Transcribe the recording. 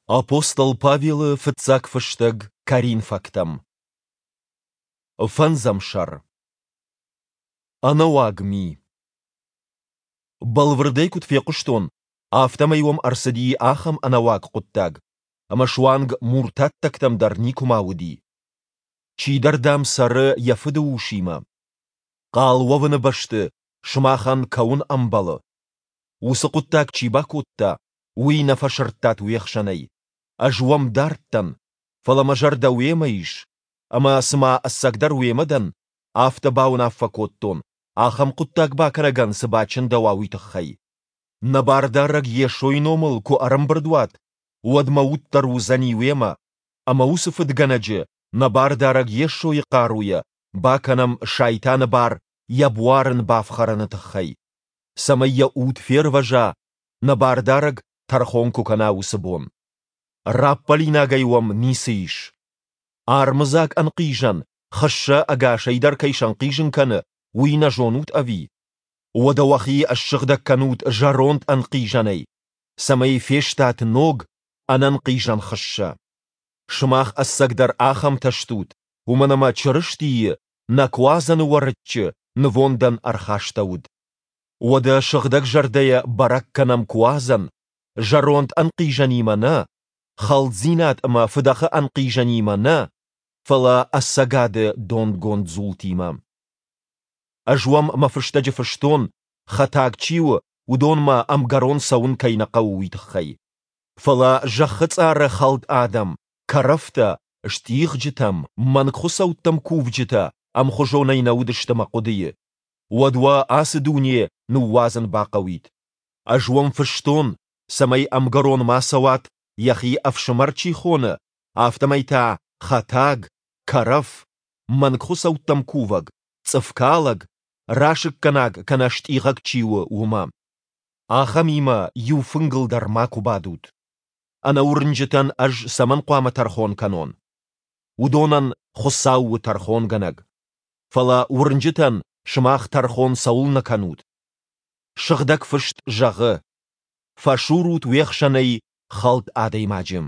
Апостол Павелы фыццаг фыстӕг Коринфӕгтӕм. Фӕндзӕм сӕр. Ӕнӕуаг ми. Бӕлвырдӕй куыд фехъуыстон, афтӕмӕй уӕм ӕрцыди ахӕм ӕнӕуаг хъуыддаг, ӕмӕ суанг муртаттӕгтӕм дӕр никуыма уыди. Чидӕр, дам, цӕры йӕ фыды усимӕ. Хъал уӕвыны бӕсты сымахӕн кӕуын ӕмбӕлы. Уыцы хъуыддаг чи бакодта, уый нӕ фӕсырдтат уе хсӕнӕй. Ӕз уӕм дард дӕн, фӕлӕ мӕ зӕрдӕ уемӕ ис, ӕмӕ цыма ӕцӕгдӕр уемӕ дӕн, афтӕ бауынаффӕ кодтон, ахӕм хъуыддаг бакӕнӕгӕн цы бачындӕуа, уый тыххӕй. Нӕ Бардарӕг Йесойы номыл куы ӕрӕмбырд уат, уӕд мӕ уд дӕр уыдзӕни уемӕ, ӕмӕ уыцы фыдгӕнӕджы нӕ Бардарӕг Йесойы хъаруйӕ бакӕнӕм Сайтаны бар йӕ буар ын бафхӕрыны тыххӕй, цӕмӕй йӕ уд фервӕза, нӕ Бардарӕг тӕрхон куы кӕна, уыцы бон. Раппӕлинагӕй уӕм ницы ис. Армыдзаг ӕнхъизӕн хыссӕ ӕгасӕй дӕр кӕй сӕнхъизын кӕны, уый нӕ зонут ӕви? Уӕдӕ уӕхи ссыгъдӕг кӕнут зӕронд ӕнхъизӕнӕй, цӕмӕй фестат ног, ӕнӕнхъизӕн хыссӕ. Сымах ӕцӕгдӕр ахӕмтӕ стут, уымӕн ӕмӕ Чырыстийы, нӕ Куадзӕны Уӕрыччы, нывондӕн ӕрхастӕуыд. Уӕдӕ сыгъдӕг зӕрдӕйӕ бӕрӕг кӕнӕм Куадзӕн, зӕронд ӕнхъизӕнимӕ нӕ, хӕлддзинад ӕмӕ фыдӕхы ӕнхъизӕнимӕ нӕ, фӕлӕ ӕцӕгады донгонд дзултимӕ. Ӕз уӕм мӕ фыстӕджы фыстон, хӕтаг чи у, уыдонмӕ ӕмгӕрон цӕуын кӕй нӕ хъӕуы, уый тыххӕй. Фӕлӕ зӕххы цъары хӕлд адӕм, кӕрӕфтӕ, стъигъджытӕм, мӕнгхуыцӕуттӕм кувджытӕ ӕмхуызонӕй нӕ уыдысты мӕ хъуыдыйы. Уӕд уӕ ацы дуне ныууадзын бахъӕуид. Ӕз уӕм фыстон, цӕмӕй ӕмгӕрон ма цӕуат, йӕхи ӕфсымӕр чи хоны, афтӕмӕй та хӕтаг, кӕрӕф, мӕнгхуыцӕуттӕм кувӕг, цъыфкалӕг, расыггӕнаг кӕнӕ стъигъӕг чи у, уымӕ. Ахӕмимӕ иу фынгыл дӕр макуы бадут. Ӕнӕуырнджытӕн ӕз цӕмӕн хъуамӕ тӕрхон кӕнон? Уыдонӕн Хуыцау у тӕрхонгӕнӕг. Фӕлӕ уырнджытӕн сымах тӕрхон цӕуылнӕ кӕнут? Сыгъдӕг Фыст зӕгъы: Фӕсурут уе хсӕнӕй хӕлд адӕймаджы.